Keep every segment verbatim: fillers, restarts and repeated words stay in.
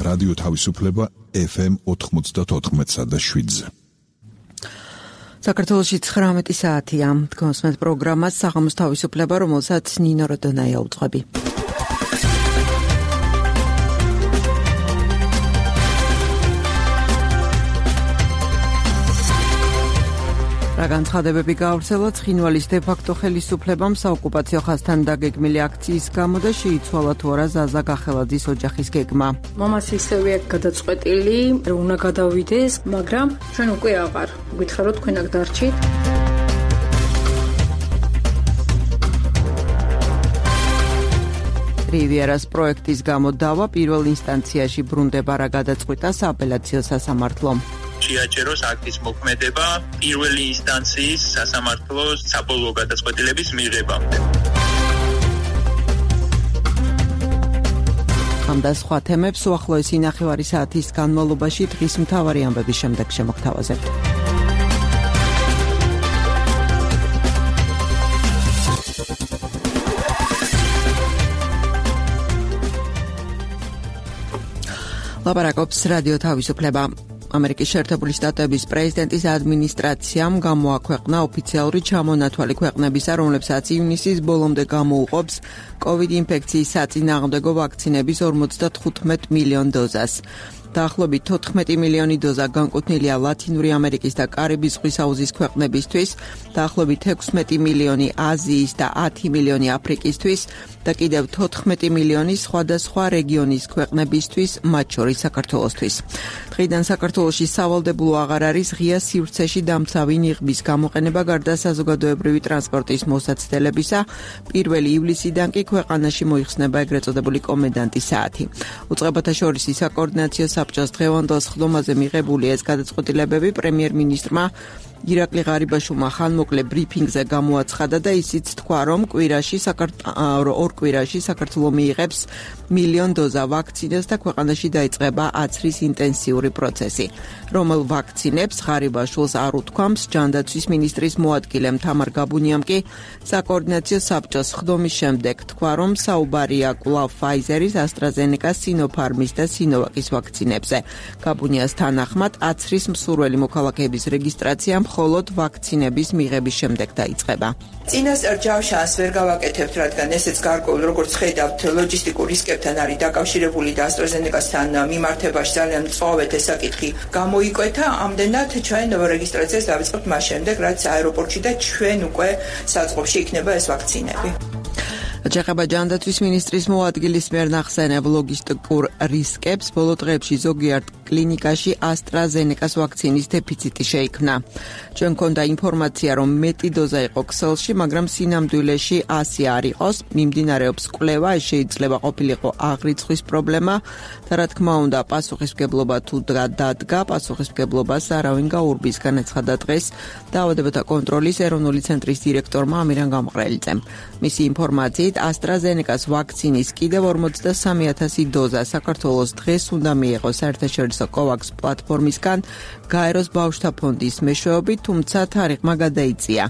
რადიო თავისუფლება ეფ ემ ოთხმოცდაოთხ და შვიდზე. საქართველოში ცხრამეტი საათია. გონსმენთ პროგრამას საღამოს თავისუფლება, რომელსაც ნინო როდონაია უძღვები. რა განცხადებები გავრცელა ცხინვალის დე-ფაქტო ხელისუფლებამ საოკუპაციო ხაზთან დაგეგმილი აქციის გამო და შეიცვალა თუ არა ზაზა გახელაძის ოჯახის გეგმა. მამაც ისევე აქ გადაწყვეტილი, რომ უნდა გადავიდეს, მაგრამ ჩვენ უკვე აღარ გითხრა, რომ თქვენ აქ დარჩით. რივიერას პროექტის გამო დავა პირველ ინსტანციაში ბრუნდება, რა გადაწყვიტა სააპელაციო სასამართლომ. შეაჩეროს აქტის მოქმედება პირველი ინსტანციის სასამართლოს საბოლოო გადაწყვეტილების მიღებამდე. ამ და სხვა თემებს უახლოესი ნახევარი საათის განმავლობაში დღის მთავარი ამბების შემდეგ შემოგთავაზებთ. ლაპარაკობს რადიო თავისუფლება. ამერიკის შეერთებული შტატების პრეზიდენტის ადმინისტრაციამ გამოაქვეყნა ოფიციალური ჩამონათვალი ქვეყნებისა, რომლებსაც ივნისის ბოლომდე გამოუყოფს კოვიდ ინფექციის საწინააღმდეგო ვაქცინების ორმოცდათხუთმეტ მილიონ დოზას. დაახლოებით თოთხმეტი მილიონი დოზა განკუთვნილია ლათინური ამერიკის და კარიბის ზღვის აუზის ქვეყნებისთვის, დაახლოებით ექვსმეტი მილიონი აზიის და ათი მილიონი აფრიკისთვის და კიდევ თოთხმეტი მილიონი სხვადასხვა რეგიონის ქვეყნებისთვის, მათ შორის საქართველოსთვის. დღიდან საქართველოში სავალდებულო აღარ არის ღია სივრცეში დამცავი ნიღბის გამოყენება გარდა საზოგადოებრივი ტრანსპორტის მოსაცდელებისა. პირველი ივლისიდან კი ქვეყანაში მოიხსნება ეგრეთ წოდებული კომენდანტის საათი. უწყებათა შორის საკოორდინაციო საბჭოს დღევანდელ სხდომაზე მიღებული ეს გადაწყვეტილებები პრემიერ-მინისტრმა ირაკლი ღარიბაშვილმა ხანმოკლე ბრიფინგზე გამოაცხადა და ისიც თქვა, რომ კვირაში ორ კვირაში საქართველო მიიღებს მილიონ დოზა ვაქცინას და ქვეყანაში დაიწყება აცრის ინტენსიური პროცესი. რომელ ვაქცინებს ღარიბაშვილს არ უთქვამს, ჯანდაცვის მინისტრის მოადგილემ თამარ გაბუნიამ კი საკოორდინაციო საბჭოს სხდომის შემდეგ თქვა, რომ საუბარია კვლავ ფაიზერის, ასტრაზენეკას, სინოფარმის და სინოვაკის ვაქცინებზე. გაბუნიას თანახმად აცრის მსურველი მოქალაქეების რეგისტრაცია მხოლოდ ვაქცინების მიღების შემდეგ დაიწყება. წინასწარ ჯავშანს ვერ გავაკეთებთ, რადგან ესეც გარკვეულ, როგორც ხედავთ, ლოჯისტიკურ რისკებთან არის დაკავშირებული და ასტრაზენეკასთან მიმართებაში ძალიან მწვავედ ეს საკითხი გამოიკვეთა. ამდენად ჩვენ რეგისტრაციას დავიწყებთ მას შემდეგ, რაც აეროპორტში და ჩვენ უკვე საწყობში იქნება ეს ვაქცინები. ჩეხება ჯანდაცვის მინისტრის მოადგილის მიერ ნახსენებ ლოგისტიკურ რისკებს. ბოლო დღეებში ზოგიერთ კლინიკაში ასტრაზენეკას ვაქცინის დეფიციტი შეიქმნა. ჩვენ მქონდა ინფორმაცია, რომ მეტი დოზა იყო ქსელში, მაგრამ სინამდვილეში ასი არ იყოს. მიმდინარეობს კვლევა, ეს შეიძლება ყოფილიყო აღრიცხვის პრობლემა და რა თქმა უნდა, პასუხისმგებლობა თუ დადგა, პასუხისმგებლობას არავინ გაურბის, განაცხადა დღეს დაავადებათა კონტროლის ეროვნული ცენტრის დირექტორმა ამირან გამყრელიძემ. მისი ინფორმაციით AstraZeneca-ს ვაქცინის კიდევ ორმოცდასამი ათასი დოზა საქართველოს დღეს უნდა მიიღოს საერთაშორისო COVAX პლატფორმისგან გაეროს ბავშვთა ფონდის მეშვეობით, თუმცა თარიღმა გადაიწია.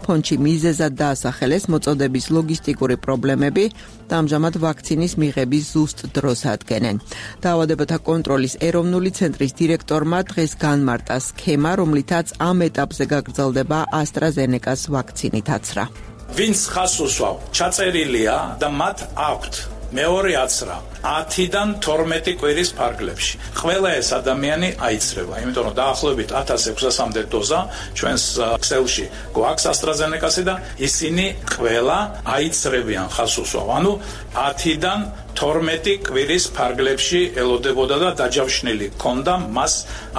ფონდში მიზეზად დაასახელეს მოწოდების ლოგისტიკური პრობლემები და ამჟამად ვაქცინის მიღების ზუსტ დროს ადგენენ. დაავადებათა კონტროლის ეროვნული ცენტრის დირექტორმა დღეს განმარტა სქემა, რომლითაც ამ ეტაპზე გაგრძელდება AstraZeneca-ს ვაქცინით აცრა. ვინც ხას უსვავ, ჩაწერილია და მათ აქვთ მეორე აცრა ათიდან თორმეტი კვირის ფარგლებში. ყველა ეს ადამიანი აიცრება, იმიტომ რომ დაახლოებით ათას ექვსასამდე დოზა ჩვენს ქსელში გვაქვს AstraZeneca-სი და ისინი ყველა აიცრებიან ხას უსვავ. ანუ ათიდან თორმეტი კვირის ფარგლებში ელოდებოდა და დაჯავშნილი ქონდა მას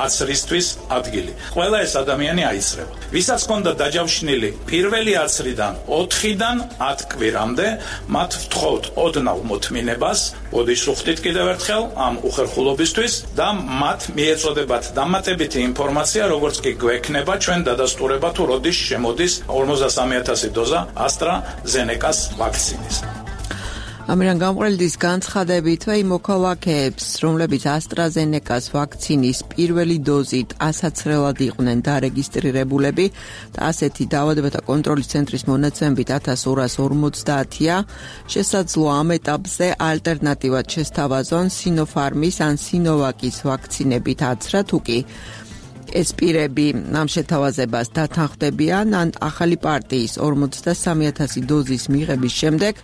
აცრისთვის ადგილი. ყველა ეს ადამიანი აიცრება. ვისაც ქონდა დაჯავშნილი პირველი აცრიდან ოთხიდან ათ კვირამდე, მათ ვთხოვთ ოდნავ მოთმინებას, ოდიშ უხდით კიდევ ერთხელ ამ უხერხულობისთვის და მათ მიეწოდებათ დამატებითი ინფორმაცია, როგორც კი გვექნება ჩვენ დადასტურება თუ როდის შემოდის ორმოცდასამი ათასი დოზა AstraZeneca-ს ვაქცინის. ამირან გამყრელდის განცხადებით იმ მოქალაქეებს, რომლებიც AstraZeneca-ს ვაქცინის პირველი დოზით ასაცრელად იყვნენ დარეგისტრირებულები და ასეთი დაავადებათა კონტროლის ცენტრის მონაცემებით ათას ორას ორმოცდაათია, შესაძლოა ამ ეტაპზე ალტერნატივად შესთავაზონ Sinopharm-ის ან Sinovac-ის ვაქცინებით აცრა, თუ კი ეს პირები ამ შეთავაზებას დათანხმდებიან ან ახალი პარტიის ორმოცდასამი ათასი დოზის მიღების შემდეგ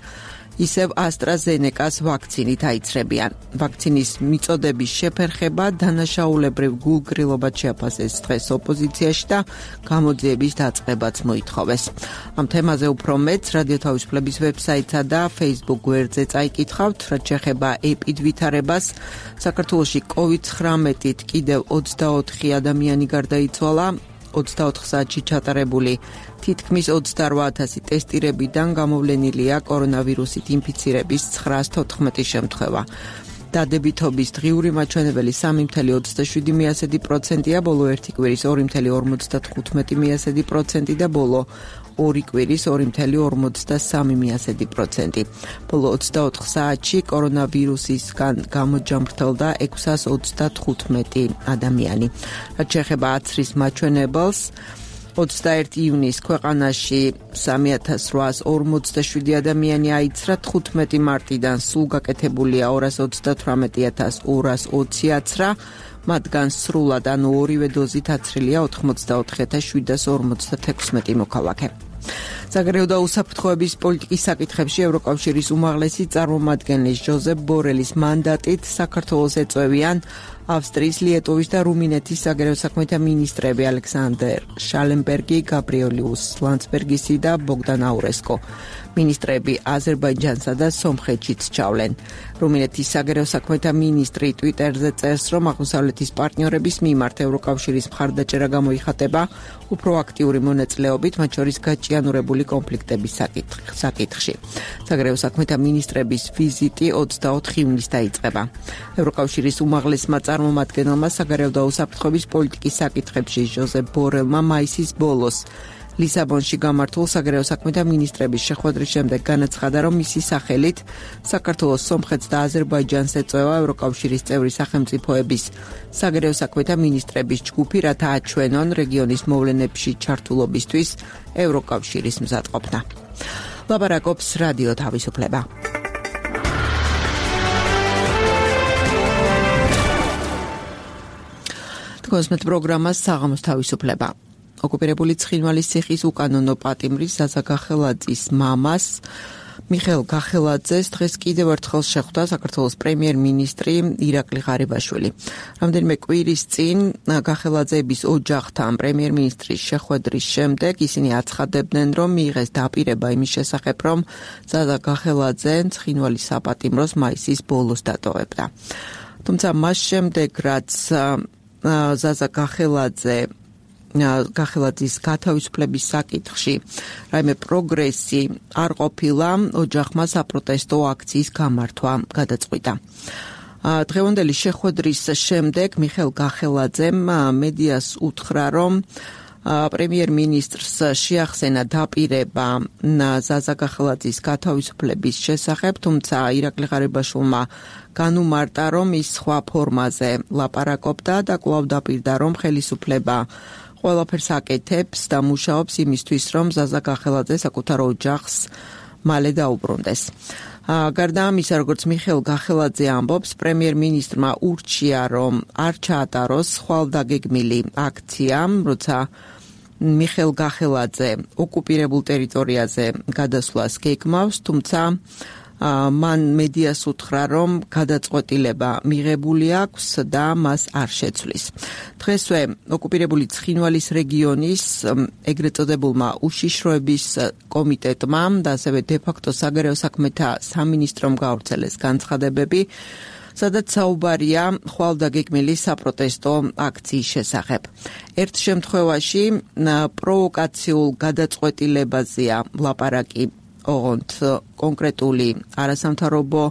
ისევ AstraZeneca-ს ვაქცინით აიცრებიან. ვაქცინის მიწოდების შეფერხება დანაშაულებრივ გულგრილობად შეაფასეს დღეს ოპოზიციაში და გამოძიების დაწყებაც მოითხოვეს. ამ თემაზე უფრო მეტს რადიო თავისუფლების ვებსაიტსა და Facebook გვერდზე წაიკითხავთ, რაც შეეხება ეპიდ ვითარებას. საქართველოში კოვიდ ცხრამეტით კიდევ ოცდაოთხი ადამიანი გარდაიცვალა. ოცდაოთხ საათში ჩატარებული თითქმის ოცდაორ ათასი ტესტირებიდან გამოვლენილია კორონავირუსით ინფიცირების ცხრაას თოთხმეტი შემთხვევა. დადებითობის დღიური მაჩვენებელი სამი ფاصლე ოცდაშვიდი პროცენტია, ბოლო ერთი კვირის ორი ფაصლე ორმოცდათხუთმეტი პროცენტი და ბოლო ორი კვირის ორი ფაصლე ორმოცდასამი პროცენტი. ბოლო ოცდაოთხ საათში კორონავირუსისგან გამოჯამრთელდა ექვსას ოცდათხუთმეტი ადამიანი. რაც შეეხება აცრის მაჩვენებელს, ოცდაერთი ივნისს ქვეყანაში სამი ათას რვაას ორმოცდაშვიდი ადამიანი აიცრა, თხუთმეტი მარტიდან სულ გაკეთებულია ორას ოცდათვრამეტი ათას ორას ოცი აცრა, მათგან სრულად ანუ ორივე დოზით აცრილია ოთხმოცდაოთხი ათას შვიდას ორმოცდათექვსმეტი მოქალაქე. საგარეო და უსაფრთხოების პოლიტიკის საკითხებში ევროკავშირის უმაღლესი წარმომადგენლის ჟოზეფ ბორელის მანდატით საქართველოს ეწევიან ავსტრიის, ლიეტოვის და რუმინეთის საგარეო საქმეთა მინისტრები ალექსანდერ შალენბერგი, გაბრიელიუს ლანცბერგისი და ბოგდან აურესკო. მინისტრები აზერბაიჯანსა და სომხეთშიც ჩავლენ. რუმინეთის საგარეო საქმეთა მინისტრი ტვიტერზე წერს, რომ აღმოსავლეთის პარტნიორების მიმართ ევროკავშირის მხარდაჭერა გამოიხატება უფრო აქტიური მონაწილეობით, მათ შორის გაჭიანურებული კონფლიქტების საკითხში. საგარეო საქმეთა მინისტრების ვიზიტი ოცდაოთხ ივნისს დაიწყება. ევროკავშირის უმაღლესმა წარმომადგენელმა საგარეო და უსაფრთხოების პოლიტიკის საკითხებში ჟოზეფ ბორელმა მაისის ბოლოს ლისაბონში გამართულ საგარეო საქმეთა მინისტრების შეხვედრის შემდეგ განაცხადა, რომ მისი სახელით საქართველოს, სომხეთს და აზერბაიჯანს ეწევა ევროკავშირის წევრი სახელმწიფოების საგარეო საქმეთა მინისტრების ჯგუფი, რათა აჩვენონ რეგიონის მოვლენებში ჩართულობისთვის ევროკავშირის მზადყოფნა. ლაპარაკობს რადიო თავისუფლება. კონსმეთ პროგრამას საღამოს თავისუფლება. ოკუპირებული ცხინვალის ციხის უკანონო პატიმრის ზაზა გახელაძის მამას მიხეილ გახელაძეს დღეს კიდევ ერთხელ შეხვდა საქართველოს პრემიერ-მინისტრი ირაკლი ღარიბაშვილი. რამდენიმე კვირის წინ გახელაძეების ოჯახთან პრემიერ-მინისტრის შეხვედრის შემდეგ ისინი აცხადებდნენ, რომ მიიღეს დაპირება იმის შესახებ, რომ ზაზა გახელაძე ცხინვალის საპატიმროს მაისის ბოლოს დატოვებდა. თუმცა მას შემდეგ, რაც ზაზა გახელაძე გახელაძის გათავისუფლების საკითხში რაიმე პროგრესი არ ყოფილა, ოჯახმა საპროტესტო აქციის გამართვა გადაწყვიტა. დღევანდელი შეხვედრის შემდეგ მიხეილ გახელაძემ მედიას უთხრა, რომ პრემიერ-მინისტრს შეახსენა დაპირება ზაზა გახელაძის გათავისუფლების შესახებ, თუმცა ირაკლი ღარიბაშვილმა განუმარტა, რომ ის სხვა ფორმაზე ლაპარაკობდა და კვლავ დაპირდა, რომ ხელისუფლება ყველაფერს აკეთებს და მუშაობს იმისთვის, რომ ზაზა გახელაძე საკუთარ ოჯახს მალე დაუბრუნდეს. გარდა ამისა, როგორც მიხეილ გახელაძე ამბობს, პრემიერ-მინისტრმა ურჩია, რომ არ ჩაატაროს ხვალდაგეგმილი აქცია, როცა მიხეილ გახელაძე ოკუპირებულ ტერიტორიაზე გადასვლას გეგმავს, თუმცა მან მედიას უთხრა, რომ გადაწყვეტილება მიღებული აქვს და მას არ შეცვლის. დღესვე ოკუპირებული ცხინვალის რეგიონის ეგრეთ წოდებულმა უშიშროების კომიტეტმა და ასევე დე-ფაქტო საგარეო საქმეთა სამინისტრომ გაავრცელეს განცხადებები, სადაც საუბარია ხვალდაგეგმილი საპროტესტო აქციის შესახებ. ერთ შემთხვევაში პროვოკაციულ გადაწყვეტილებაზეა ლაპარაკი ოღონდ კონკრეტული არასამთავრობო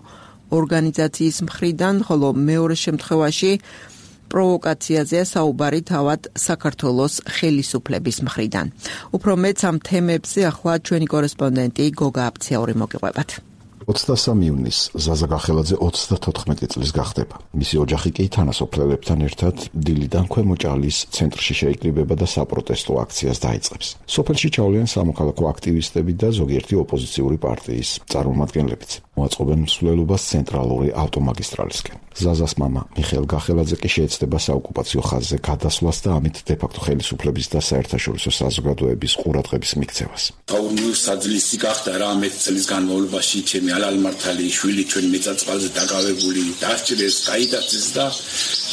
ორგანიზაციის მხრიდან, ხოლო მეორე შემთხვევაში პროვოკაციაზეა საუბარი თავად საქართველოს ხელისუფლების მხრიდან. უფრო მეტს ამ თემებზე ახლა ჩვენი კორესპონდენტი გოგა აფციაური მოგიყვებათ. ოცდასამი ივნისს ზაზა გახელაძე ოცდათოთხმეტი წლის გახდება. მისი ოჯახი კი თანასოფლელებთან ერთად დილიდან ქვემო ჭალის ცენტრში შეიკრიბება და საპროტესტო აქციას დაიწყებს. სოფელში ჩავლიან სამოქალაქო აქტივისტები და ზოგიერთი ოპოზიციური პარტიის წარმომადგენლებიც. მოაწყობენ მსვლელობას ცენტრალური ავტომაგისტრალისკენ. ზაზას მამა მიხეილ გახელაძე კი შეეცდება საოკუპაციო ხაზზე გადასვლას და ამით დე-ფაქტო ხელისუფლების და საერთაშორისო საზოგადოების ყურადღების მიქცევას. საძლისი გახდა რა მეც წლის განმავლობაში ჩემი ალალმართალი შვილი ჩვენ მეწაწვალზე დაკავებული დასჭირეს, გაიტაცეს და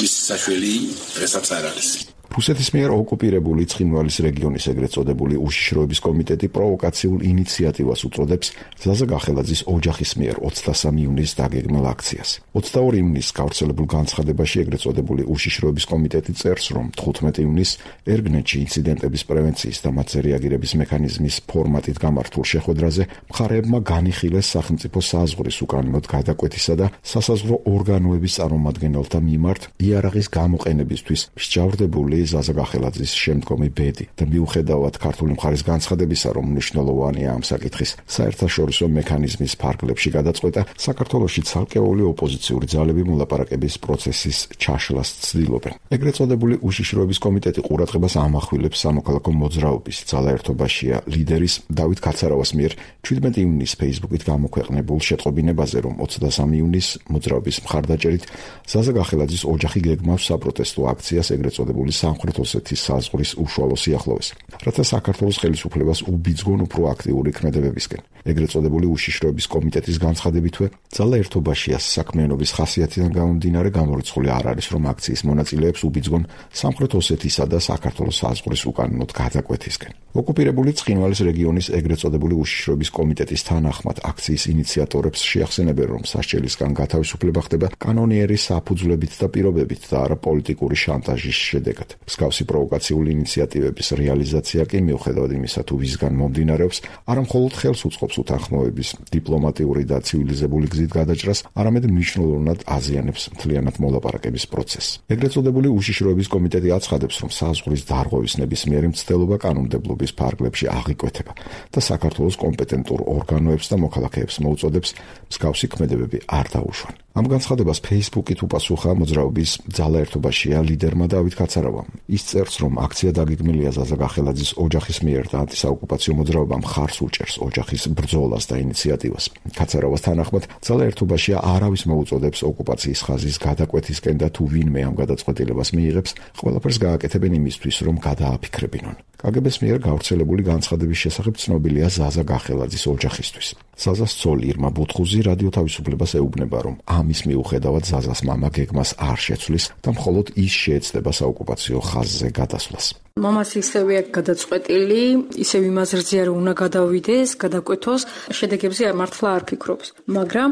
მისი საშველი დღესაც არ არის. რუსეთის მიერ ოკუპირებული ცხინვალის რეგიონის ეგრეთ წოდებული უშიშროების კომიტეტი პროვოკაციულ ინიციატივას უწოდებს ზაზა გახელაძის ოჯახის მიერ ოცდასამი ივნისს დაგეგმილ აქციას. ოცდაორი ივნისს გავრცელებულ განცხადებაში ეგრეთ წოდებული უშიშროების კომიტეტი წერს, რომ თხუთმეტი ივნისს ერგნეთში ინციდენტების პრევენციის და მათზე რეაგირების მექანიზმის ფორმატით გამართულ შეხვედრაზე მხარეებმა განიხილეს სახელმწიფო საზღვრის უკანონოდ გადაკვეთისა და სასაზღვრო ორგანოების წარმომადგენელთა მიმართ იარაღის გამოყენებისთვის მსჯავრდებული ზაზა გახელაძის შემდგომი ბედი და მიუხედავად ქართული მხარის განცხადებისა, რომ მნიშვნელოვანია ამ საკითხის საერთაშორისო მექანიზმის ფარგლებში გადაწყვეტა, საქართველოში ცალკეული ოპოზიციური ძალები მოლაპარაკების პროცესის ჩაშლას ცდილობენ. ეგრეთ წოდებული უშიშროების კომიტეტი ყურადღებას ამახვილებს სამოქალაქო მოძრაობის ძალაერთობაშია ლიდერის დავით კაცარავას მიერ ჩვიდმეტი ივნისს ფეისბუქით გამოქვეყნებულ შეტყობინებაზე, რომ ოცდასამი ივნისს მოძრაობის მხარდაჭერით ზაზა გახელაძის ოჯახი გეგმავს საპროტესტო აქციას ეგრეთ წოდებული სამხრეთ ოსეთის საზღვრის უშუალო სიახლოვეს, რათა საქართველოს ხელისუფლებას უბიძგონ უფრო აქტიური ქმედებებისკენ. ეგრეთ წოდებული უშიშროების კომიტეტის განცხადებითვე, ძალაერთობაშიას საქმიანობის ხასიათიდან გამომდინარე გამორიცხული არ არის, რომ აქციის მონაწილეებს უბიძგონ სამხრეთ ოსეთისა და საქართველოს საზღვრის უკანონოდ გადაკვეთისკენ. ოკუპირებული ცხინვალის რეგიონის ეგრეთ წოდებული უშიშროების კომიტეტის თანახმად აქციის ინიციატორებს შეახსენებენ, რომ სასჯელისგან გათავისუფლება ხდება კანონიერი საფუძვლებით და პირობებით და არა პოლიტიკური შანტაჟის შედეგად. მსგავსი პროვოკაციული ინიციატივების რეალიზაცია კი მიუხედავად იმისა, თუ ვისგან მომდინარეობს, არა მხოლოდ ხელს უწყობს უთანხმოების დიპლომატიური და ცივილიზებული გზით გადაჭრას, არამედ მნიშვნელოვნად აზიანებს მთლიანად მოლაპარაკების პროცესს. ეგრეთ წოდებული უშიშროების კომიტეტი აცხადებს, რომ საზღვრის დარღვევის ნებისმიერი მცდელობა კანონმდებლობის ფარგლებში აღიკვეთება და საქართველოს კომპეტენტურ ორგანოებს და მოქალაქეებს მოუწოდებს მსგავსი ქმედებები არ დაუშვან. ამ განცხადებას ფეისბუქით უპასუხა მოძრაობის ძალაერთობაშია ლიდერმა დავით კაცარავამ. ის წერს, რომ აქცია დაგეგმილია ზაზა გახელაძის ოჯახის მიერ და ანტისაოკუპაციო მოძრაობამ ხარს უჭერს ოჯახის ბრძოლას და ინიციატივას. კაცარავას თანახმად ძალაერთობაშია არავის მოუწოდებს ოკუპაციის ხაზის გადაკვეთისკენ და თუ ვინმე ამ გადაწყვეტილებას მიიღებს, ყველაფერს გააკეთებენ იმისთვის, რომ გადააფიქრებინონ. კაგებეს მიერ გავრცელებული განცხადების შესახებ ცნობილია ზაზა გახელაძის ოჯახისთვის. ზაზას ცოლი ირმა ბუთხუზი რადიო თავისუფლებას ეუბნება, რომ ამის მიუხედავად ზაზას მამა გეგმას არ შეცვლის და მხოლოდ ის შეეცდება საოკუპაციო ხაზზე გადასვლას. მამას ისევე გადაწყვეტილი, ისევ იმაზრზეა, რომ უნდა გადავიდეს, გადაკვეთოს, შედეგებზე მართლა არ ფიქრობს. მაგრამ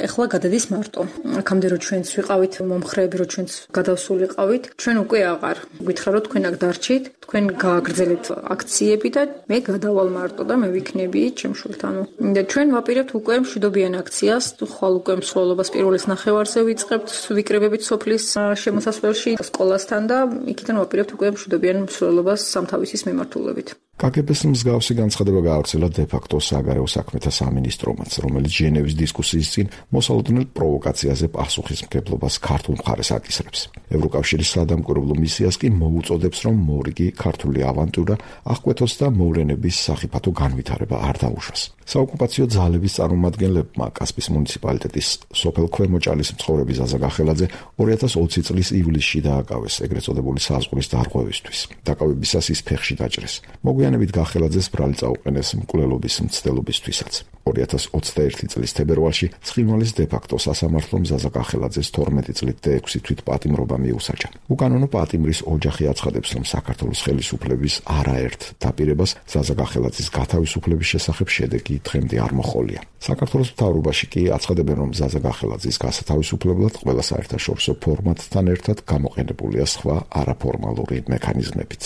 ეხლა გადადის მარტო. აქამდე რო ჩვენც ვიყავით მომხრეები, რო ჩვენც გადავსულიყავით, ჩვენ უკვე აღარ. გითხრა რომ თქვენ აქ დარჩით, თქვენ გააგრძელებთ აქციები და მე გადავალ მარტო და მე ვიქნები ჩემ შვილთანო. და ჩვენ ვაპირებთ უკვე მშვიდობიან აქციას, ხვალ უკვე მსვლელობას პირველის ნახევარზე ვიწყებთ, ვიკრებებით სოფლის შემოსასვლელში სკოლასთან და იქიდან ვაპირებთ უკვე მშვიდობიან მსვლელობას სამთავისის მიმართულებით. კაგებეს მსგავსი განცხადება გაავრცელა დე-ფაქტო საგარეო საქმეთა სამინისტრომაც, რომელიც ჟენევის დისკუსიის წინ მოსალოდნელ პროვოკაციაზე პასუხისმგებლობას ქართულ მხარეს აკისრებს. ევროკავშირის სადამკვირვებლო მისიას კი მოუწოდებს, რომ მორიგი ქართული ავანტურა აღკვეთოს და მოვლენების სახიფათო განვითარება არ დაუშვას. საოკუპაციო ძალების წარმომადგენლებმა კასპის მუნიციპალიტეტის სოფელ ქვემო ჭალის მცხოვრები ზაზა გახელაძე ორი ათას ოცი წლის ივლისში დააკავეს ეგრეთ წოდებული საზღვრის დარღვევისთვის. დაკავებისას ის ფეხში დაჭრეს. მოგვიანებით გახელაძეს ბრალი წაუყენეს მკვლელობის მცდელობისთვისაც. ორი ათას ოცდაერთი წლის თებერვალში ცხინვალის დე-ფაქტო სასამართლომ ზაზა გახელაძეს თორმეტი წლით და ექვსი თვით პატიმრობა მიუსაჯა. უკანონო პატიმრის ოჯახი აცხადებს, რომ საქართველოს ხელისუფლების არაერთ დაპირებას ზაზა გახელაძის გათავისუფლების შესახებ შედეგი დღემდე არ მოჰყოლია. საქართველოს მთავრობაში კი აცხადებენ, რომ ზაზა გახელაძის გასათავისუფლებლად ყველა საერთაშორისო ფორმატთან ერთად გამოყენებულია სხვა არაფორმალური მექანიზმებიც.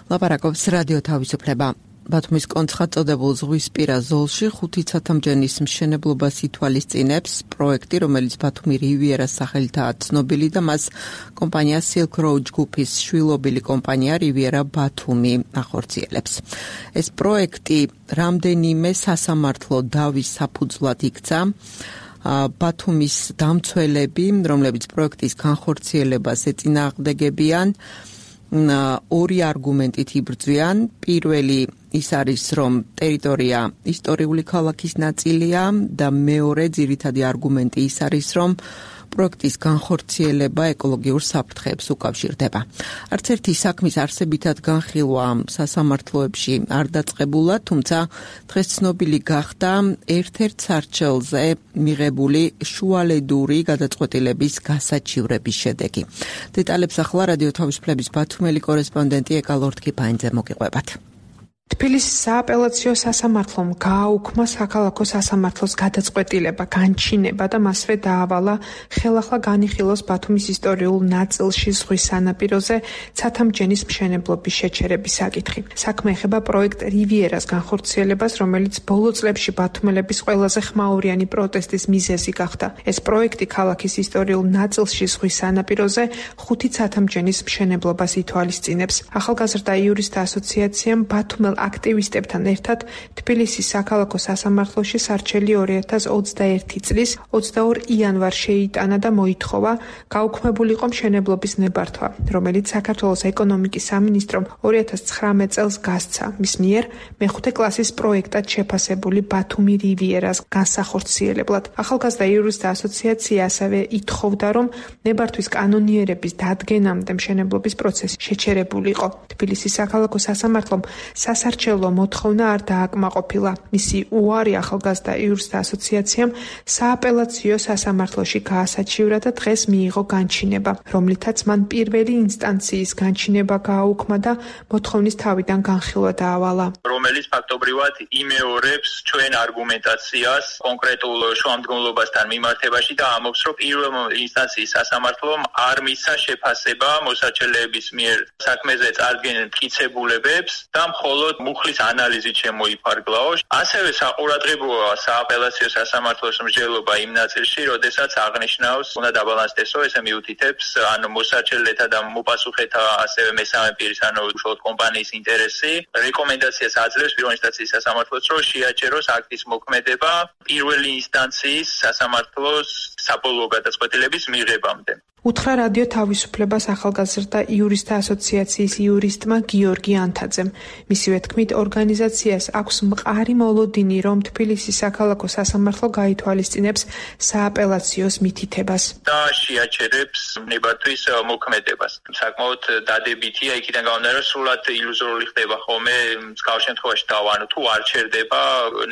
ლაპარაკობს რადიო თავისუფლება. ბათუმის კონცხად წოდებულ ზღვისპირა ზოლში ხუთი ცათამბჯენის მშენებლობას ითვალისწინებს პროექტი, რომელიც ბათუმი რივიერას სახელითაა ცნობილი და მას კომპანია Silk Road ჯგუფის შვილობილი კომპანია რივიერა ბათუმი ახორციელებს. ეს პროექტი რამდენიმე სასამართლო დავის საფუძვლად იქცა. ბათუმის დამცველები, რომლებიც პროექტის განხორციელებას ეწინააღმდეგებიან, ორი არგუმენტით იბრძვიან. პირველი ის არის, რომ ტერიტორია ისტორიული ქალაქის ნაწილია და მეორე ძირითადი არგუმენტი ის არის, რომ პროექტის განხორციელება ეკოლოგიურ საფრთხეებს უკავშირდება. არც ერთი საქმის არსებითად განხილვა სასამართლოებში არ დაწყებულა, თუმცა დღეს ცნობილი გახდა ერთ-ერთ სარჩელზე მიღებული შუალედური გადაწყვეტილების გასაჩივრების შედეგი. დეტალებს ახლა რადიო თავისუფლების ბათუმელი კორესპონდენტი ეკალორთქი ფაინძე მოგიყვებათ. თბილისის სააპელაციო სასამართლომ გააუქმა საქალაქო სასამართლოს გადაწყვეტილება, განჩინება და მასვე დაავალა ხელახლა განიხილოს ბათუმის ისტორიულ ნაწილში ზღვის სანაპიროზე ცათამბჯენის მშენებლობის შეჩერების საკითხი. საქმე ეხება პროექტ რივიერას განხორციელებას, რომელიც ბოლო წლებში ბათუმელების ყველაზე ხმაურიანი პროტესტის მიზეზი გახდა. ეს პროექტი ქალაქის ისტორიულ ნაწილში ზღვის სანაპიროზე ხუთი ცათამბჯენის მშენებლობას ითვალისწინებს. ახალგაზრდა იურისტთა ასოციაციამ ბათუმელ აქტივისტებთან ერთად თბილისის საქალაქო სასამართლოში სარჩელი ორი ათას ოცდაერთი წლის ოცდაორ იანვარს შეიტანა და მოითხოვა გაუქმებულიყო მშენებლობის ნებართვა, რომელიც საქართველოს ეკონომიკის სამინისტრომ ორი ათას ცხრამეტ წელს გასცა. მის მიერ მეხუთე კლასის პროექტად შეფასებული ბათუმი რივიერას განსახორციელებლად. ახალგაზრდა იურისტთა ასოციაცია ასევე ითხოვდა, რომ ნებართვის კანონიერების დადგენამდე მშენებლობის პროცესი შეჩერებულიყო. თბილისის საქალაქო სასამართლომ სასარჩელო მოთხოვნა არ დააკმაყოფილა. მისი უარი ახალგაზრდა იურისტთა ასოციაციამ სააპელაციო სასამართლოში გაასაჩივრა და დღეს მიიღო განჩინება, რომლითაც მან პირველი ინსტანციის განჩინება გააუქმა და მოთხოვნის თავიდან განხილვა დაავალა. რომელიც ფაქტობრივად იმეორებს ჩვენ არგუმენტაციას კონკრეტულ შუამდგომლობასთან მიმართებაში და ამბობს, რომ პირველ ინსტანციის სასამართლომ არ მისცა შეფასება მოსაჩელეების მიერ საქმეზე წარდგენილ მტკიცებულებებს და მხოლოდ მუხლის ანალიზით შემოიფარგლაო. ასევე საყურადღებოა სააპელაციო სასამართლოს მსჯელობა იმ ნაწილში, როდესაც აღნიშნავს, უნდა დაბალანსდესო, ესე მიუთითებს, ანუ მოსაჩელეთა და მოპასუხეთა, ასევე მესამე პირის, ანუ უშუალოდ კომპანიის ინტერესი. რეკომენდაციას აძლევს პირველი ინსტანციის სასამართლოს, რომ შეაჩეროს აქტის მოქმედება პირველი ინსტანციის სასამართლოს საბოლოო გადაწყვეტილების მიღებამდე. უთხრა რადიო თავისუფლებას ახალგაზრდა იურისტთა ასოციაციის იურისტმა გიორგი ანთაძემ. მისივე თქმით, ორგანიზაციას აქვს მყარი მოლოდინი, რომ თბილისის საქალაქო სასამართლო გაითვალისწინებს სააპელაციოს მითითებას და შეაჩერებს ნებართვის მოქმედებას. საკმაოდ დადებითია იქიდან გამომდინარე, რომ სრულად ილუზორული ხდება ხოლმე მსგავს შემთხვევაში და ანუ თუ არ ჩერდება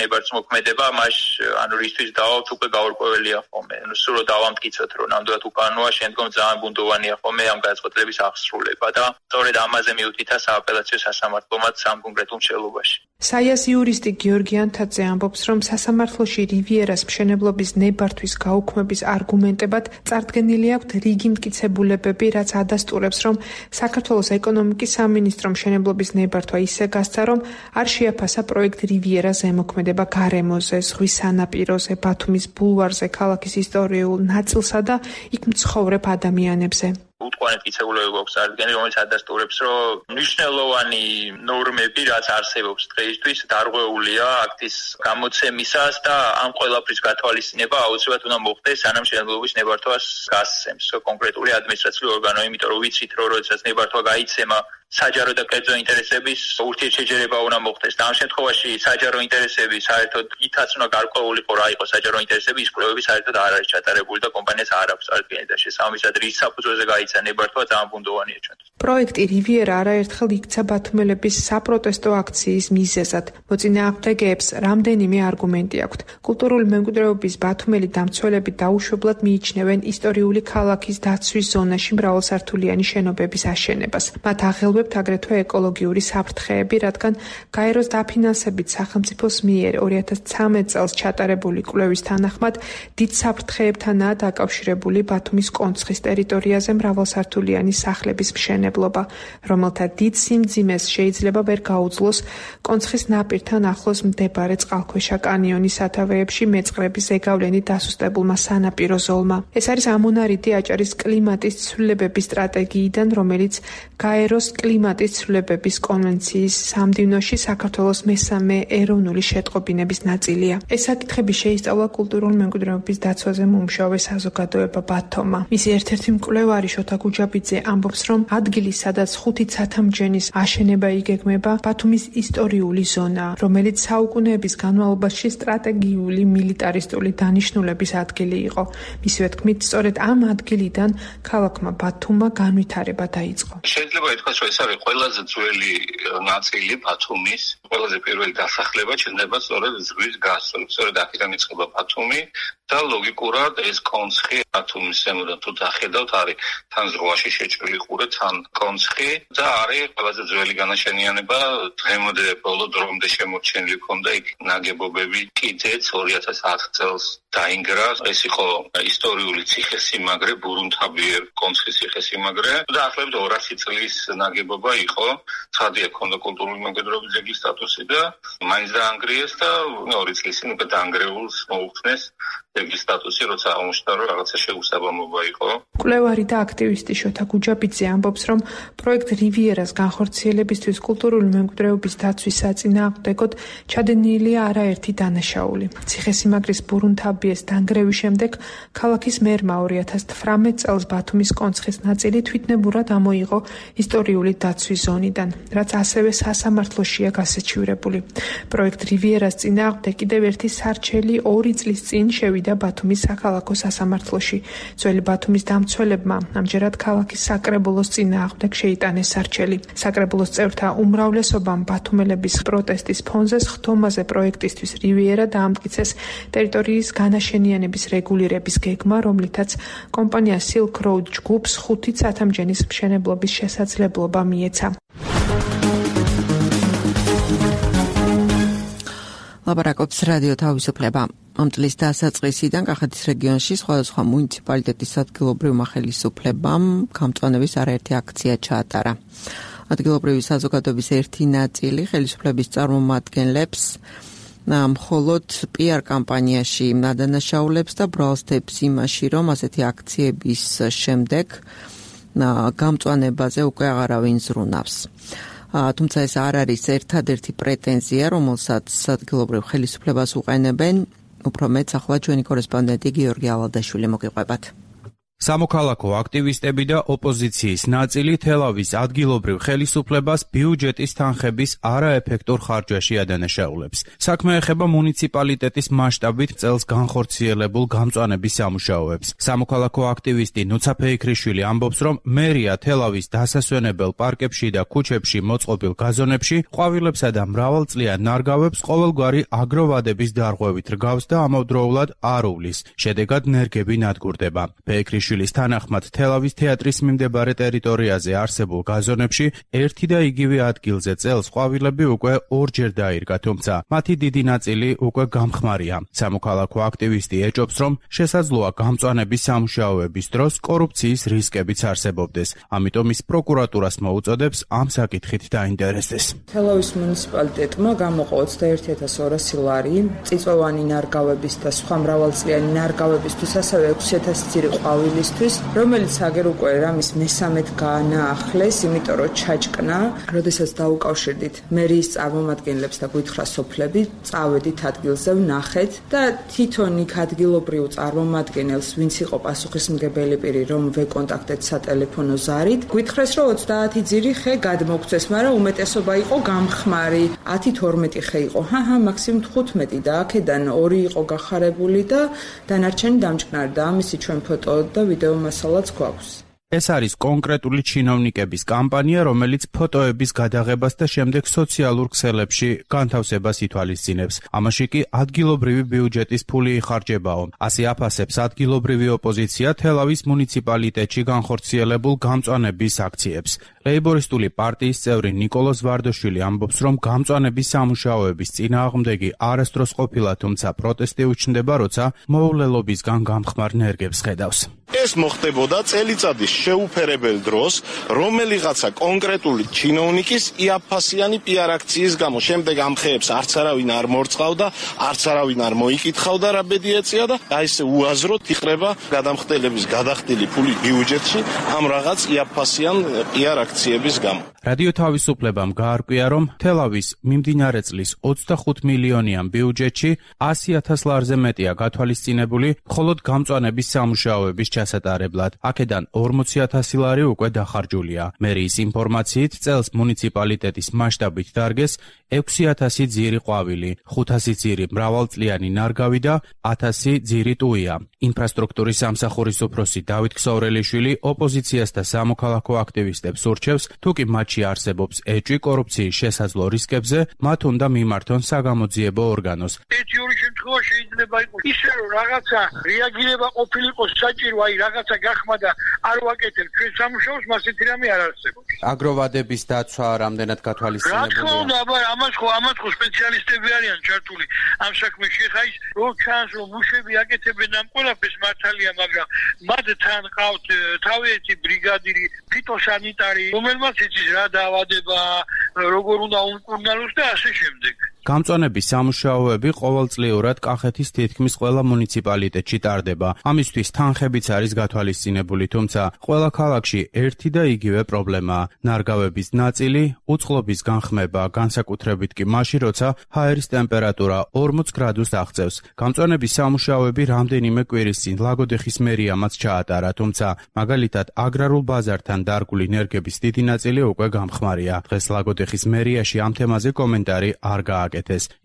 ნებართვის მოქმედება, მას ანუ რისთვის დავავთ უკვე გაურკვეველია ხოლმე. ანუ სრულად დავამტკიცოთ, რომ ნამდვილად უკანოა, შემდგომ ძალიან ბუნდოვანია ხოლმე ამ გადაწყვეტილების აღსრულება და სწორედ ამაზე მიუთითა სააპელაციო სასამართლომაც ამ კონკრეტულ მშენებლობაში. საიას იურისტი გიორგი ანთაძე ამბობს, რომ სასამართლოში რივიერას მშენებლობის ნებართვის გაუქმების არგუმენტებად წარდგენილი აქვთ რიგი მტკიცებულებები, რაც ადასტურებს, რომ საქართველოს ეკონომიკის სამინისტრომ მშენებლობის ნებართვა ისე გასცა, რომ არ შეაფასა პროექტ რივიერას ზემოქმედება გარემოზე, ზღვის სანაპიროზე, ბათუმის ბულვარზე, ქალაქის ისტორიულ ნაწილსა და იქ მცხოვრებ ადამიანებზე. უტყვანეთ მტკიცებულებები გვაქვს წარდგენილი, რომელიც ადასტურებს, რომ მნიშვნელოვანი ნორმები, რაც არსებობს დღეისთვის, დარღვეულია აქტის გამოცემისას და ამ ყველაფრის გათვალისწინება აუცილებლად უნდა მოხდეს, სანამ მშენებლობის ნებართვას გასცემს კონკრეტული ადმინისტრაციული ორგანო, იმიტომ რომ ვიცით, რომ როდესაც ნებართვა გაიცემა, საჯარო და კერძო ინტერესების ურთიერთშეჯერება უნდა მოხდეს. და ამ შემთხვევაში საჯარო ინტერესები საერთოდ ითაც უნდა გარკვეულიყო რა იყო საჯარო ინტერესები, ის კვლევები საერთოდ არ არის ჩატარებული და კომპანიას არ აქვს წარდგენილი და შესაბამისად რის საფუძველზე გაიცა ნებართვა ძალიან ბუნდოვანია ჩვენთვის. პროექტი რივიერა არაერთხელ იქცა ბათუმელების საპროტესტო აქციის მიზეზად. მოწინააღმდეგეებს რამდენიმე არგუმენტი აქვთ. კულტურული მემკვიდრეობის ბათუმელი დამცველები დაუშვებლად მიიჩნევენ ისტორიული ქალაქის დაცვის ზონაში მრავალსართულიანი შენობების აშენებას. მათ აღელვებთ აგრეთვე ეკოლოგიური საფრთხეები, რადგან გაეროს დაფინანსებით სახელმწიფოს მიერ ორი ათას ცხრამეტ წელს ჩატარებული კვლევის თანახმად დიდ საფრთხეებთანაა დაკავშირებული ბათუმის კონცხის ტერიტორიაზე მრავალ მრავალსართულიანი სახლების მშენებლობა, რომელთა დიდ სიმძიმეს შეიძლება ვერ გაუძლოს კონცხის ნაპირთან ახლოს მდებარე წყალქვეშა კანიონის სათავეებში მეწყრების ზეგავლენით დასუსტებულმა სანაპირო ზოლმა. ეს არის ამონარიდი აჭარის კლიმატის ცვლილებების სტრატეგიიდან, რომელიც გაეროს კლიმატის ცვლილებების კონვენციის სამდივნოში საქართველოს მესამე ეროვნული შეტყობინების ნაწილია. ეს საკითხები შეისწავლა კულტურული მემკვიდრეობის დაცვაზე მომუშავე საზოგადოება ბათომა. მისი ერთ-ერთი მკვლევარი შოთა გუჯაბიძე ამბობს, რომ ადგილი, სადაც ხუთი ცათამბჯენის აშენება იგეგმება, ბათუმის ისტორიული ზონაა, რომელიც საუკუნეების განმავლობაში სტრატეგიული მილიტარისტული დანიშნულების ადგილი იყო. მისივე თქმით, სწორედ ამ ადგილიდან ქალაქმა ბათუმმა განვითარება დაიწყო. შეიძლება ითქვას, რომ ეს არის ყველაზე ძველი ნაწილი ბათუმის, ყველაზე პირველი დასახლება ჩნდება სწორედ ზღვის გასწვრივ. სწორედ აქედან იწყება ბათუმი და ლოგიკურად ეს კონცხი ბათუმის ზემოდან თუ დახედავთ, არის თან ზღვაში შეჭრილი ყურე, თან კონცხი და არის ყველაზე ძველი განაშენიანება. დღემდე ბოლო დრომდე შემორჩენილი ჰქონდა იქ ნაგებობები, კიდეც ორი ათას ათი წელს დაინგრა. ეს იყო ისტორიული ციხესიმაგრე, ბურუნთაბიერ კონცხის ციხესიმაგრე და ახლებით ორასი წლის ნაგებობა იყო. ცხადია, ჰქონდა კულტურული მემკვიდრეობის ძეგლის სტატუსი და მაინც დაანგრიეს და ორი წლის წინ უკვე დაანგრეულს მოუხსნეს ძეგლის სტატუსი, როცა აღმოჩნდა, რომ რაღაცა შეუსაბამობა იყო. მკვლევარი და აქტივისტი შოთა გუჯაბიძე ამბობს, რომ პროექტ რივიერას განხორციელებისთვის კულტურული მემკვიდრეობის დაცვის საწინააღმდეგოდ ჩადენილია არაერთი დანაშაული. ციხესიმაგრის ბურუნთაბიეს დანგრევის შემდეგ ქალაქის მერმა ორი ათას თვრამეტ წელს ბათუმის კონცხის ნაწილი თვითნებურად ამოიღო ისტორიული დაცვის ზონიდან, რაც ასევე სასამართლოშია გასაჩივრებული. პროექტ რივიერას წინააღმდეგ კიდევ ერთი სარჩელი ორი წლის წინ შევიდა ბათუმის საქალაქო სასამართლოში. ძველი ბათუმის დამცველებმა ამჯერად ქალაქის საკრებულოს წინააღმდეგ შეიტანეს სარჩელი. საკრებულოს წევრთა უმრავლესობამ ბათუმელების პროტესტის ფონზე სხდომაზე პროექტისთვის რივიერა დაამტკიცეს ტერიტორიის განაშენიანების რეგულირების გეგმა, რომლითაც კომპანია Silk Road ჯგუფს ხუთი ცათამბჯენის მშენებლობის შესაძლებლობა მიეცა. ლაპარაკობს რადიო თავისუფლება. ამ წლის დასაწყისიდან კახეთის რეგიონში სხვადასხვა მუნიციპალიტეტის ადგილობრივმა ხელისუფლებამ გამწვანების არაერთი აქცია ჩაატარა. ადგილობრივი საზოგადოების ერთი ნაწილი ხელისუფლების წარმომადგენლებს მხოლოდ პიარ კამპანიაში ადანაშაულებს და ბრალსდებს იმაში, რომ ასეთი აქციების შემდეგ გამწვანებაზე უკვე აღარავინ ზრუნავს. თუმცა ეს არ არის ერთადერთი პრეტენზია, რომელსაც ადგილობრივ ხელისუფლებას უყენებენ. უფრო მეც ახლა ჩვენი კორესპონდენტი გიორგი ალადაშვილი მოგიყვებათ. სამოქალაქო აქტივისტები და ოპოზიციის ნაწილი თელავის ადგილობრივ ხელისუფლებას ბიუჯეტის თანხების არაეფექტურ ხარჯვაში ადანაშაულებს. საქმე ეხება მუნიციპალიტეტის მასშტაბით წელს განხორციელებულ გამწვანების სამუშაოებს. სამოქალაქო აქტივისტი ნუცა ფეიქრიშვილი ამბობს, რომ მერია თელავის დასასვენებელ პარკებში და ქუჩებში მოწყობილ გაზონებში ყვავილებსა და მრავალწლიან ნარგავებს ყოველგვარი აგროვადების დარღვევით რგავს და ამავდროულად არ უვლის. შედეგად ნერგები ნადგურდება. ფეიქრიშვილი თანახმად თელავის თეატრის მიმდებარე ტერიტორიაზე არსებულ გაზონებში ერთი და იგივე ადგილზე წელს ყვავილები უკვე ორჯერ დაირგა, თუმცა მათი დიდი ნაწილი უკვე გამხმარია. სამოქალაქო აქტივისტი ეჭობს, რომ შესაძლოა გამწვანების სამუშაოების დროს კორუფციის რისკებიც არსებობდეს. ამიტომ ის პროკურატურას მოუწოდებს ამ საკითხით დაინტერესდეს. თელავის მუნიციპალიტეტმა გამოყო ოცდაერთი ათას ორასი ლარი წიწვოვანი ნარგავების და სხვა მრავალწლიანი ნარგავებისთვის, ასევე ექვსი ათასი ძირი ყვავილი, რომელიც აგერ უკვე რამის მესამედ გაანაახლეს, იმიტომ რომ ჩაჭკნა. როდესაც დაუკავშირდით მერიის წარმომადგენლებს და გვითხრა სოფლები, წავედით ადგილზე, ვნახეთ და თვითონ იქ ადგილობრივ წარმომადგენელს, ვინც იყო პასუხისმგებელი პირი, რომ ვეკონტაქტეთ სატელეფონო ზარით, გვითხრეს, რომ ოცდაათი ძირი ხე გადმოგცეს, მაგრამ უმეტესობა იყო გამხმარი. ათი თორმეტი ხე იყო. ჰაჰა, მაქსიმუმ თხუთმეტი და აქედან ორი იყო გახარებული და დანარჩენი დამჭკნარი და ამისი ჩვენ ფოტო და ვიდეო მასალაც გვაქვს. ეს არის კონკრეტული ჩინოვნიკების კამპანია, რომელიც ფოტოების გადაღებას და შემდეგ სოციალურ ქსელებში განთავსებას ითვალისწინებს. ამაში კი ადგილობრივი ბიუჯეტის ფული იხარჯებაო. ასე აფასებს ადგილობრივი ოპოზიცია თელავის მუნიციპალიტეტში განხორციელებულ გამწვანების აქციებს. ლეიბორისტული პარტიის წევრი ნიკოლოზ ვარდოშვილი ამბობს, რომ გამწვანების სამუშაოების წინააღმდეგი არასდროს ყოფილა, თუმცა პროტესტი უჩნდება, როცა მოულელობისგან გამხმარ ნერგებს ხედავს. ეს მოხდებოდა წელიწადის შეუფერებელ დროს, რომელიღაცა კონკრეტული ჩინოვნიკის იაფფასიანი პიარ აქციის გამო. შემდეგ ამ ხეებს არც არავინ არ მორწყავდა, არც არავინ არ მოიკითხავდა რა ბედი ეწია და აი ესე უაზროდ იყრება გადამხდელების გადახდილი ფული ბიუჯეტში ამ რაღაც იაფფასიან პიარ აქციების გამო. რადიო თავისუფლებამ გაარკვია, რომ თელავის მიმდინარე წლის ოცდახუთ მილიონიან ბიუჯეტში ასი ათას ლარზე მეტია გათვალისწინებული მხოლოდ გამწვანების სამუშაოების ჩასატარებლად. აქედან ორმოცი ათასი ლარი უკვე დახარჯულია. მერიის ინფორმაციით წელს მუნიციპალიტეტის მასშტაბით დარგეს ექვსი ათასი ძირი ყვავილი, ხუთასი ძირი მრავალწლიანი ნარგავი და ათასი ძირი ტუია. ინფრასტრუქტურის სამსახურის უფროსი დავით ქსოვრელიშვილი ოპოზიციას და სამოქალაქო აქტივისტებს ურჩევს, თუ კი მათში არსებობს ეჭვი კორუფციის შესაძლო რისკებზე, მათ უნდა მიმართონ საგამოძიებო ორგანოს. ერთი ორი შემთხვევა შეიძლება იყოს ისე, რომ რაღაცა რეაგირება ყოფილიყო საჭირო, აი რაღაცა გახმა და არ ვაკეთებ ჩვენ სამუშაოს, მას ეთი რამე არ არსებობს. აგროვადების დაცვა რამდენად გათვალისწინებულია? რა თქმა უნდა, აბა ამას ხო ამას ხო სპეციალისტები არიან ჩართული ამ საქმეში. ხა ის რო ჩანს, რომ მუშები აკეთებენ ამ ყველაფერს მართალია, მაგრამ მათ თან ყავთ თავისი ბრიგადირი, ფიტოსანიტარი, რომელმაც იცის რა დაავადება, როგორ უნდა უმკურნალოს და ასე შემდეგ. გამწვანების სამუშაოები ყოველწლიურად კახეთის თითქმის ყველა მუნიციპალიტეტში ტარდება. ამისთვის თანხებიც არის გათვალისწინებული, თუმცა ყველა ქალაქში ერთი და იგივე პრობლემაა. ნარგავების ნაწილი, უწყლობის განხმება, განსაკუთრებით კი მაშინ, როცა ჰაერის ტემპერატურა ორმოც გრადუსს აღწევს. გამწვანების სამუშაოები რამდენიმე კვირის წინ ლაგოდეხის მერიამაც ჩაატარა, თუმცა მაგალითად აგრარულ ბაზართან დარგული ნერგების დიდი ნაწილი უკვე გამხმარია. დღეს ლაგოდეხის მერიაში ამ თემაზე კომენტარი არ გააკეთეს.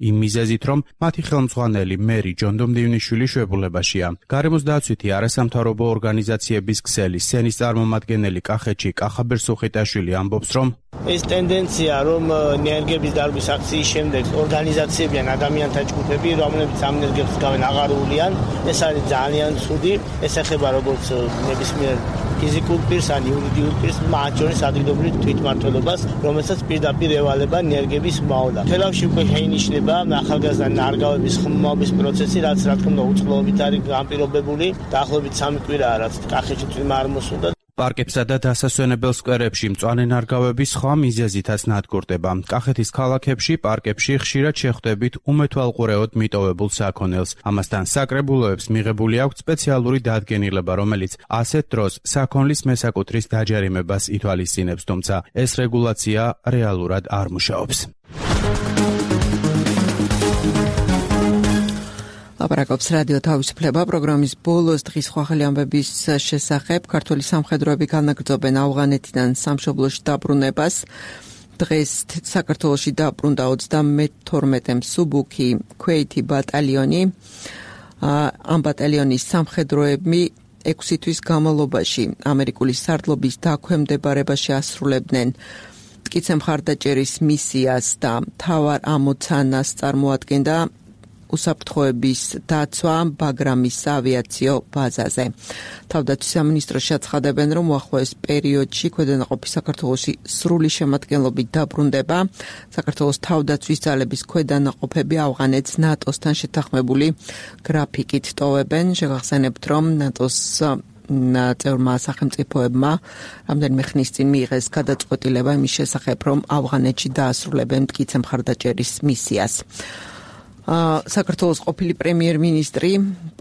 იმ მიზეზით, რომ მათი ხელმძღვანელი მერი ჯონდო მდივნიშვილი შვებულებაშია. გარემოს დაცვითი არასამთავრობო ორგანიზაციების ქსელი სენის წარმომადგენელი კახეთში კახაბერ სუხიტაშვილი ამბობს, რომ ეს ტენდენცია, რომ ნერგების დარგვის აქციის შემდეგ ორგანიზაციები ან ადამიანთა ჯგუფები, რომლებიც ამ ნერგებს გავენ აღარულიან, ეს არის ძალიან ცუდი. ეს ეხება როგორც ნებისმიერ ფიზიკურ პირს ან იურიდიულ პირს, მათ შორის ადგილობრივ თვითმმართველობას, რომელსაც პირდაპირ ევალება ნერგების მოვლა. თელავში უკვე შეინიშნება ახალგაზრდა ნარგავების ხმობის პროცესი, რაც რა თქმა უნდა უწყლობით არის განპირობებული. დაახლოებით სამი კვირაა, რაც კახეთში წვიმა არ მოსულდა. პარკებსა და დასასვენებელ სკვერებში მწვანე ნარგავები სხვა მიზეზითაც ნადგურდება. კახეთის ქალაქებში, პარკებში ხშირად შეხვდებით უმეთვალყურეოდ მიტოვებულ საქონელს. ამასთან საკრებულოებს მიღებული აქვს სპეციალური დადგენილება, რომელიც ასეთ დროს საქონლის მესაკუთრის დაჯარიმებას ითვალისწინებს, თუმცა ეს რეგულაცია რეალურად არ მუშაობს. ლაპარაკობს რადიო თავისუფლება პროგრამის ბოლოს დღის ხვალ ამბების შესახებ. ქართული სამხედროები განაგრძობენ ავღანეთიდან სამშობლოში დაბრუნებას. დღეს საქართველოში დაბრუნდა ოცდამეთორმეტე მსუბუქი ქვეითი ბატალიონი. ამ ბატალიონის სამხედროები ექვსი თვის განმავლობაში ამერიკული სარდლობის დაქვემდებარებაში ასრულებდნენ მტკიცე მხარდაჭერის მისიას და მთავარ ამოცანას წარმოადგენდა უსაფრთხოების დაცვა ბაგრამის ავიაციო ბაზაზე. თავდაცვის სამინისტროში აცხადებენ, რომ უახლოეს პერიოდში ქვედანაყოფი საქართველოში სრული შემადგენლობით დაბრუნდება. საქართველოს თავდაცვის ძალების ქვედანაყოფები ავღანეთს ნატოსთან შეთანხმებული გრაფიკით ტოვებენ. შეგახსენებთ, რომ ნატოს წევრმა სახელმწიფოებმა რამდენიმე ხნის წინ მიიღეს გადაწყვეტილება იმის შესახებ, რომ ავღანეთში დაასრულებენ მტკიცე მხარდაჭერის მისიას. საქართველოს ყოფილი პრემიერ-მინისტრი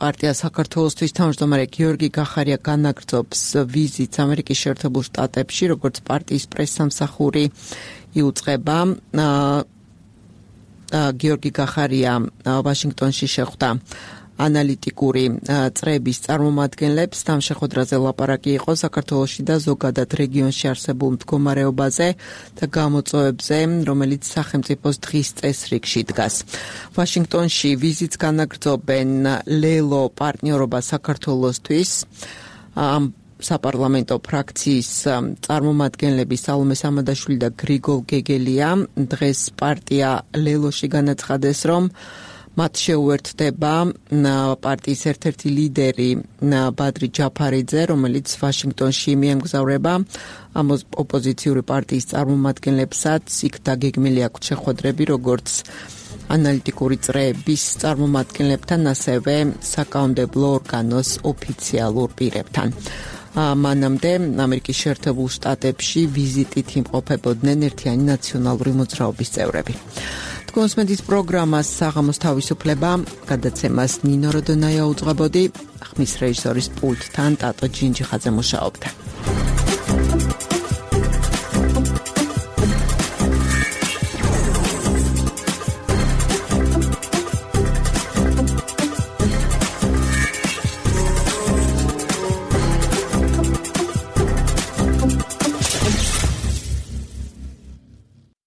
პარტია საქართველოსთვის თავმჯდომარე გიორგი გახარია განაგრძობს ვიზიტს ამერიკის შეერთებულ შტატებში, როგორც პარტიის პრესსამსახური იუწყება. გიორგი გახარია ვაშინგტონში შეხვდა ანალიტიკური წრების წარმომადგენლებს. ამ შეხვედრაზე ლაპარაკი იყო საქართველოში და ზოგადად რეგიონში არსებულ მდგომარეობაზე და გამოწვევებზე, რომელიც სახელმწიფოს დღის წესრიგში დგას. ვაშინგტონში ვიზიტს განაგრძობენ ლელო პარტნიორობა საქართველოსთვის. ამ საპარლამენტო ფრაქციის წარმომადგენლები სალომე სამადაშვილი და გრიგოლ გეგელია დღეს პარტია ლელოში განაცხადეს, რომ მათ შეუერთდება პარტიის ერთ-ერთი ლიდერი ბადრი ჯაფარიძე, რომელიც ვაშინგტონში მიემგზავრება. ამ ოპოზიციური პარტიის წარმომადგენლებსაც იქ დაგეგმილი აქვთ შეხვედრები, როგორც ანალიტიკური წრეების წარმომადგენლებთან, ასევე საკანონმდებლო ორგანოს ოფიციალურ პირებთან. მანამდე ამერიკის შეერთებულ შტატებში ვიზიტით იმყოფებოდნენ ერთიანი ნაციონალური მოძრაობის წევრები. თქოსმენდის პროგრამას საღამოს თავისუფლება გადაცემას ნინო როდონაია უძღვებოდი, ხმის რეჟისორის პულტთან ტატო ჯინჯიხაძე მუშაობდა.